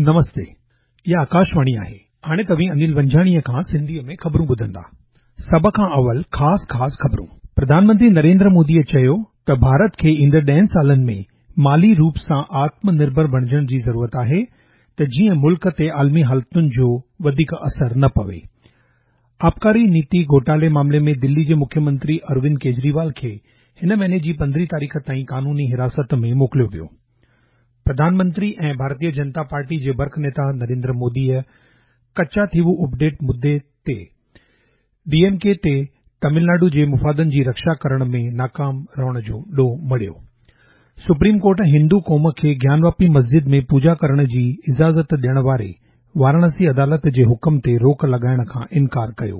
نمستي، اها آڪاشواڻي آهي. هاڻي توهين انيل ونجهاڻيء کان سنڌيء ۾ خبرون ٻڌندا. سڀ کان اول خاص خاص خبرون. پرڌان منتري نريندر موديء چيو ته ڀارت کي ايندڙ ڏهن سالن ۾ مالي روپ سان آتم نرڀر بڻجڻ جي ضرورت آهي ته جيئن ملڪ تي عالمي حالتن جو وڌيڪ اثر نه پوي. آبڪاري نيتي گهوٽالي معاملي ۾ دلي جي مکيه منتري اروند ڪيجريوال کي هن مهيني جي پندرهين تاريخ تائين قانوني حراست ۾ موڪليو ويو. پرڌان منتري ۽ ڀارتيه جنتا پارٽي جي برک نيتا نريندر موديء ڪچا ٿيوو اپڊيٽ مدي تي ڊي ايم ڪي تي تامل ناڊو جي مفادن جي رڪشا ڪرڻ ۾ ناڪام رهڻ جو ڏوهه مڙهيو. سپريم ڪورٽ هندو قوم کي گيانواپي مسجد ۾ پوڄا ڪرڻ جي اجازت ڏيڻ واري واراڻسي عدالت جي حڪم تي روڪ لڳائڻ کان انڪار ڪيو.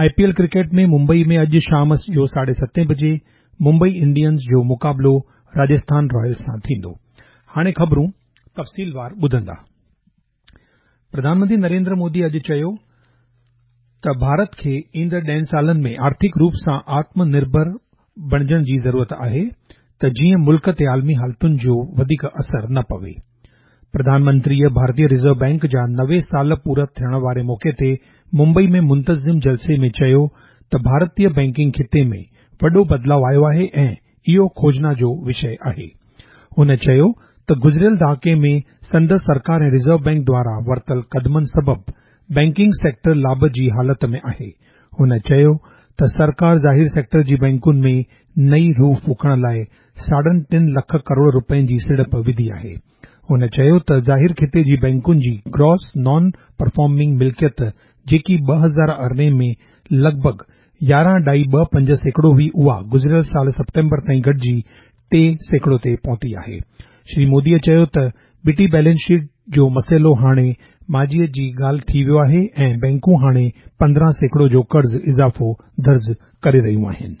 I P L cricket ۾ Mumbai ۾ اڄ شام جو ساڍي ستين بجي ممبئي انڊينز جو مقابلو راجسٿان رائلز سان ٿيندو. هاڻي خبرون تفصيلوار ٻڌندا. پرڌان منتري نريندر مودي اڄ چيو ته ڀارت کي ايندڙ ڏهن سالن ۾ آرٿڪ روپ سان آتم نرڀر بڻجڻ جي ضرورت آهي ته جيئن ملڪ تي عالمي حالتن جو وڌيڪ اثر نه پوي. پرڌان منتريء ڀارتيه رزرو بئنڪ جا 90 سال پورا ٿيڻ واري موقعي تي ممبئي ۾ منتظم جلسي ۾ چيو ته ڀارتيه بئنڪنگ خطي ۾ وڏو بدلاء آيو آهي ۽ اهو کوجنا جو وشيه آهي. هن چيو ته گذريل ڏهاڪي ۾ سندس سرڪار ۽ رزرو بئنڪ دواران ورتل قدمن سبب بئنڪنگ سيڪٽر لاڀ جي حالت ۾ آهي. هن چيو ته سرڪار ظاهر سيڪٽر جي بئنڪن ۾ نئين روح ڦوڪڻ لاء ساڍن ٽن لک ڪروڙ رپين جي سيڙپ وڌي آهي. هن چيو ته ظاهر خطي جي بئنڪن جي گراس نان پرفارمنگ ملڪيت جيڪي 2018 ۾ لڳ ڀڳ يارهن ڏائي ٻه پنج سيڪڙو هئي اها گذريل سال سيپٽمبر تائين گهٽجي 3% تي پهتي آهي. شري مودي چيو ته ٻٽي بيلنس شيٽ جو مسئلو هاڻي ماضيء جي ڳالهه ٿي ويو آهي ۽ بئنڪون هاڻي 15% جو قرض اضافو درج ڪري رهيون آهن.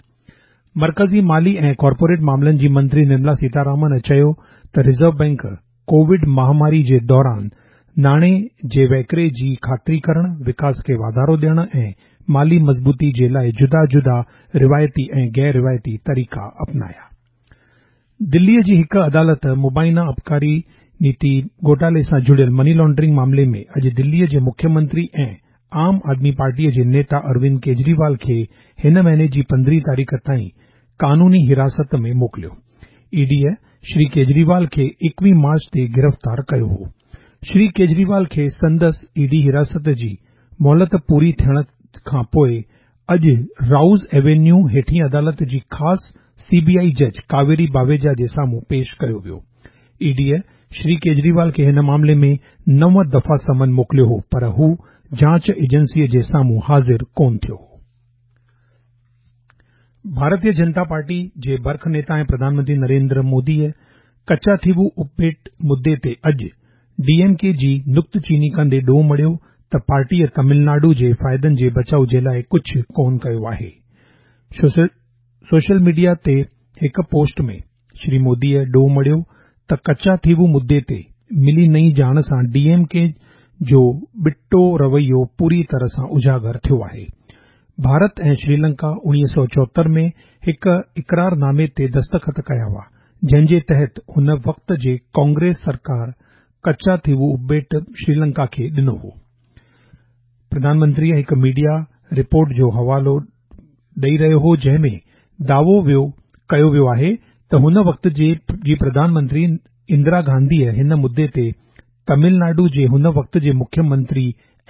مرڪزي مالي ۽ ڪارپوريٽ معاملن جي منتري نرملا سيتارامن چيو ته رزرو بئنڪ ڪووڊ مهاماري جي دوران ناڻي جي وهڪري جي خاطري ڪرڻ، وڪاس کي واڌارو ڏيڻ ۽ مالي مضبوطي جي لاء جدا جدا روايتي ۽ غير روايتي طريقا اپنايا. دلي جي هڪ عدالت مبينا آبڪاري نيتي گهوٽالي سان جڙيل مني لانڊرنگ معاملي ۾ اڄ دلي جي مکيه منتري ۽ عام آدمي پارٽيء جي نيتا اروند ڪيجريوال کي هن مهيني جي پندرهين تاريخ تائين قانوني حراست ۾ موڪليو. اي ڊيء شري ڪيجريوال کي ايڪويهه مارچ تي گرفتار ڪيو هو. شري ڪيجريوال کي سندس اي ڊي حراست جي مهلت پوري ٿيڻ کان پوء اڄ رائوز ايوينيو هيٺين عدالت جي خاص سي بي آء جج ڪاويري باويجا جي سامهون پيش ڪيو ويو. اي ڊيء شري ڪيجريوال کي هن معاملي ۾ نو دفعا سمن موڪليو هو پر هو جاچ ايجنسيء جي سامهون حاضر ڪونه ٿيو هو. ڀارتيه جنتا پارٽي جي برک نيتا ۽ پرڌان منتري نريندر موديء ڪچا ٿيوو اپٻيٽ مدي تي اڄ ڊي ايم ڪي جي نڪته چيني ڪندي ڏوهه مڙهيو ته پارٽيء تامل ناڊو جي فائدن جي بچاء جي لاء ڪجهه ڪونه ڪيو آهي. سوشل ميڊيا تي هڪ پوسٽ ۾ شري موديء ڏوهه مڙهيو ته ڪچا ٿيوو مدي تي ملي نئين ڄاڻ سان ڊي ايم ڪي جو ٻٽو رويو پوري طرح سان اجاگر ٿيو آهي. ڀارت ۽ شريلنڪا 1974 ۾ هڪ اقرار نامي تي دستخط ڪيا هئا، جنهن جي تحت ان وقت جي ڪانگريس سرڪار ڪچا ٿيوو اپٻيٽ شريلنڪا کي ڏنو هو. پرڌان منتريء هڪ ميڊيا رپورٽ جو حوالو ڏئي رهيو هو جنهن ۾ دعوو ويو ڪيو ويو آهي ته هن وقت جي جي پرڌان منتري اندرا گانڌيء هن مدي تي تامل ناڊو جي هن وقت جي مکيه منتري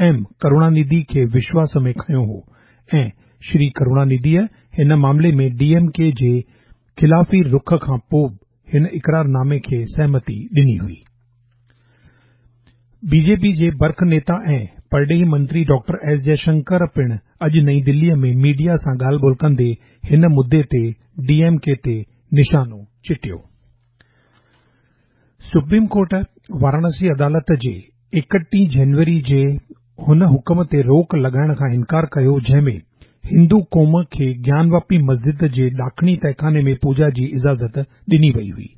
ايم ڪروڻانڌي کي وشواس ۾ کنيو هو ۽ شري ڪروڻانڌيء هن معاملي ۾ ڊي ايم ڪي جي خلافي رخ کان پوء به هن اقرار نامي کي سهمتي ڏني هئي. بي جي پي جي برک نيتا ۽ پرڏيهي منتري ڊاڪٽر ايس جئشنڪر پڻ اڄ نئين دلي ۾ ميڊيا سان ڳالهه ٻولهه ڪندي هن مدي تي ڊي ايم ڪي تي نشانو چٽيو. سپريم ڪورٽ واراڻسي عدالت جي ايڪٽيهه جنوري جي هن حڪم تي روڪ لڳائڻ کان انڪار ڪيو جنهن ۾ هندو قوم کي گيانواپي مسجد جي ڏاکڻي تهخاني ۾ پوڄا جي اجازت ڏني وئي هئي.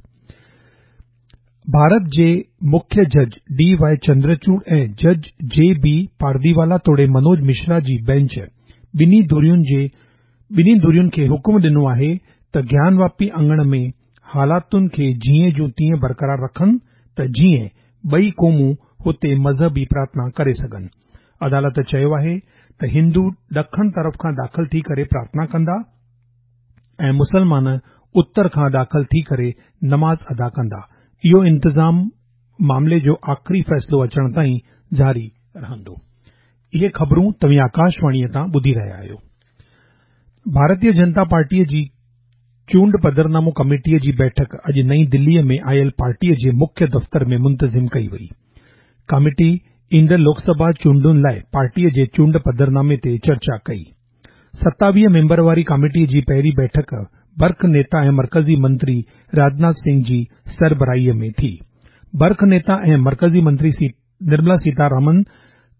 ڀارت جي مکيه جج ڊي وائي چندرچوڙ ۽ جج جي بي پارديوالا توڙي منوج مشرا جي بينچ ٻنهي ڌرين جي ٻنهي ڌرين کي حڪم ڏنو آهي ته گيانواپي اڱڻ ۾ حالاتن کي جيئن جو تيئن برقرار رکن ته جيئن ٻئي قومون هتي مذهبي پرارٿنا ڪري سگهن. عدالت چيو آهي ته هندو ڏکڻ طرف کان داخل ٿي ڪري پرارٿنا ڪندا ۽ مسلمان اتر کان داخل ٿي ڪري نماز ادا ڪندا. اهو انتظام معاملي جو آخري فيصلو اچڻ تائين جاري رهندو. اهي خبرون توهين آڪاشواڻيء تان ٻڌي رهيا آهيو. ڀارتيه جنتا پارٽيء جي چونڊ پڌرنامو ڪميٽيء جي بيٺڪ اڄ نئين دليء ۾ آيل پارٽيء جي مکيه دفتر ۾ منتظم ڪئي وئي. ڪاميٽي ايندڙ لوڪ سڀا چونڊن لاء پارٽيء جي چونڊ پڌرنامي تي چرچا ڪئي. 27 ميمبر واري ڪاميٽيء جي پهرين بيٺڪ برک نيتا ۽ مرڪزي منتري راجناٿ سنگهه جي سربراهيء ۾ ٿي. برک نيتا ۽ مرڪزي منتري نرملا سيتارامن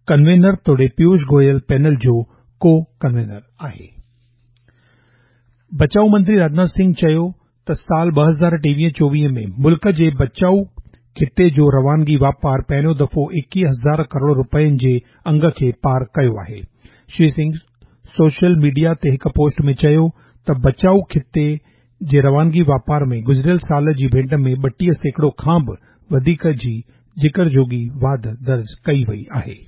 ڪنوينر توڙي پيوش گويل پينل جو ڪو ڪنوينر آهي. بچاء منتري راجناٿ سنگهه چيو ته سال 2023-24 ۾ ملڪ جي بچاء خطي جو روانگي واپار پهريون دفعو 21 هزار ڪروڙ رپين جي انگ کي پار ڪيو آهي. شري سنگهه سوشل ميڊيا تي هڪ پوسٽ ۾ چيو ته بچاء خطي جي روانگي واپار ۾ گذريل سال جي ڀيٽ ۾ 32% کان به وڌيڪ جي ذڪر جوڳي واڌ درج ڪئي وئي آهي.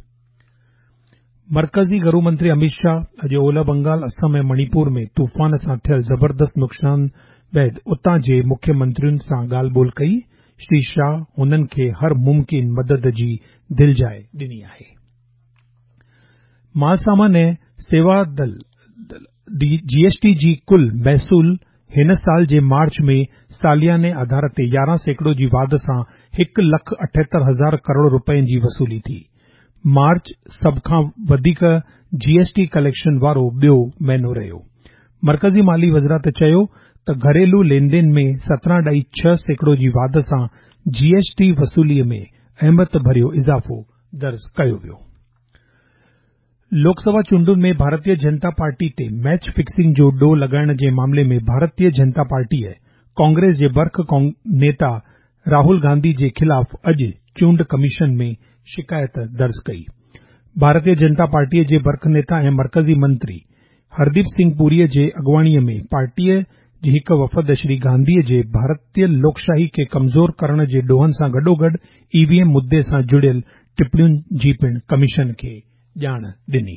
مرڪزي گهرو منتري اميت شاهه اڄ اولهه بنگال، اسم ۽ مڻيپور ۾ طوفان سان ٿيل زبردست نقصان بعد اتان جي مکيه منترين سان ڳالهه ٻولهه ڪئي. شري شاهه هنن کي هر ممڪن مدد جي دلجاء ڏني آهي. مال سامان ۽ سيوا دل، جي ايس ٽي، جي ڪل محصول هن سال جي مارچ ۾ سالياني آڌار تي 11% جي واڌ سان هڪ لک 78 هزار ڪروڙ رپين جي وصولي ٿي. مارچ سڀ کان وڌيڪ جي ايس ٽي ڪليڪشن وارو ٻيو مهينو رهيو. مرڪزي مالي وزارت چيو ته گهريلو لين دين ۾ 17.6% جي واڌ سان جي ايس ٽي وصولي ۾ اهميت ڀريو اضافو درج ڪيو ويو. لوڪ سڀا چونڊن ۾ ڀارتيه جنتا پارٽي تي ميچ فڪسنگ جو ڏوهه لڳائڻ جي معاملي ۾ ڀارتيه جنتا پارٽيء ڪانگريس جي برک نيتا راهول گانڌي جي خلاف اڄ چونڊ ڪميشن ۾ شڪايت درج ڪئي. ڀارتيه جنتا پارٽيء جي برک نيتا ۽ مرڪزي منتري هرديپ سنگهه پوريء جي اڳواڻيء ۾ پارٽيء جي هڪ وفد شري گانڌيء جي ڀارتيه لوڪشاهي کي ڪمزور ڪرڻ جي ڏوهن سان گڏوگڏ اي وي ايم مدي سان جڙيل ٽپڻين جي پڻ ڪميشن کي ڄاڻ ڏني.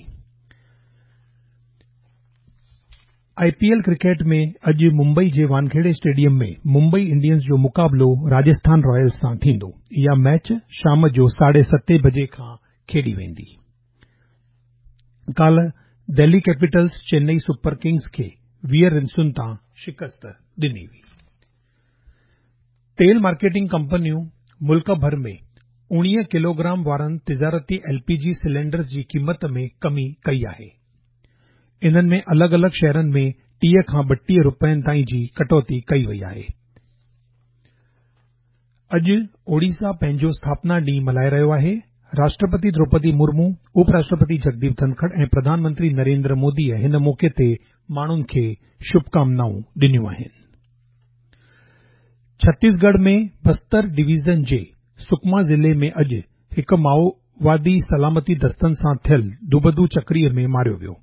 آء پي ايل ڪرڪيٽ ۾ اڄ ممبئي جي وانکيڙي اسٽيڊيم ۾ ممبئي انڊينز جو مقابلو راجسٿان رائلز سان ٿيندو. اها ميچ شام جو ساڍي ستين بجي کان کيڏي ويندي. ڪالهه Delhi Capitals Chennai super Kings کي 20 رنسن تان شڪست ڏني هئي. تيل مارڪيٽنگ ڪمپنيون ملڪ ڀر ۾ 19 ڪلوگرام وارن تجارتي ايل پي جي سلينڊرز جي قيمت ۾ ڪمي ڪئي آهي. انهن ۾ الڳ الڳ شهرن ۾ 30 کان 32 رپين تائين جي ڪٽوتي ڪئي وئي آهي. اڄ اوڙيسا پنهنجو اسٿاپنا ڏينهن ملهائي رهيو آهي. راشٽرپتي دروپدي مرمو، اپ راشٽرپتي جگديپ ڌنکڙ ۽ پرڌان منتري نريندر موديء هن موقعي تي ماڻهن کي شڀڪامنائون ڏنيون آهن. ڇتيسڳڙهه ۾ بستر ڊويزن جي سڪما ضلعي ۾ اڄ هڪ مائووادي سلامتي دستن سان ٿيل دوبدو چڪريء ۾ ماريو ويو.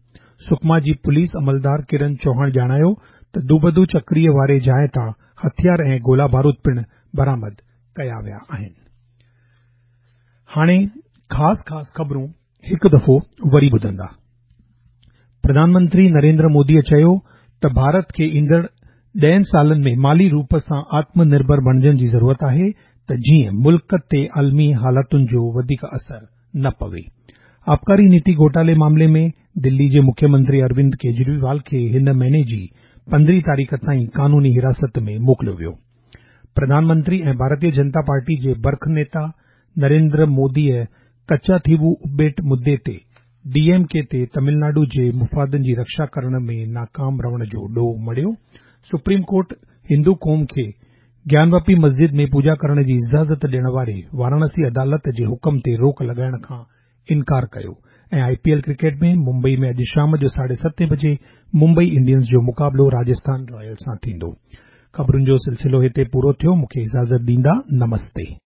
سڪما جي پوليس عملدار ڪرن چوهاڻ ڄاڻايو ته دوبدو چڪريء واري جاء تان هٿيار ۽ گولا بارود پڻ برآمد ڪيا ويا آهن. هاڻي خاص خاص خبرون هڪ دفعو وري ٻڌندا. پرڌان منتري نريندر موديء چيو ته ڀارت کي ايندڙ ڏهن سالن ۾ مالي روپ سان آتم نرڀر بڻجڻ جي ضرورت آهي ته جيئن ملڪ تي عالمي حالتن جو وڌيڪ اثر نه پوي. آبڪاري نيتي گهوٽالي معاملي ۾ دلي جي مکيه منتري اروند ڪيجريوال کي هن مهيني جي 15 تاريخ تائين قانوني حراست ۾ موڪليو ويو. پرڌان منتري ۽ ڀارتيه جنتا پارٽي جي برک نيتا نريندر موديء ڪچاٿيوو اپٻيٽ مدي تي ڊي ايم ڪي تي تمل ناڊو جي مفادن جي رڪشا ڪرڻ ۾ ناڪام رهڻ جو ڏوهه مڙهيو. سپريم ڪورٽ هندو قوم کي گيانواپي مسجد ۾ پوڄا ڪرڻ جي اجازت ڏيڻ واري واراڻسي عدالت جي حڪم تي روڪ لڳائڻ کان انڪار ڪيو ۽ I P L cricket ۾ Mumbai ۾ اڄ شام جو ساڍي ستين بجي ممبئي انڊينز جو مقابلو راجسٿان رائلز سان ٿيندو. خبرن جو سلسلو هتي پورو ٿيو مون کي اجازت ڏيندا نمستي.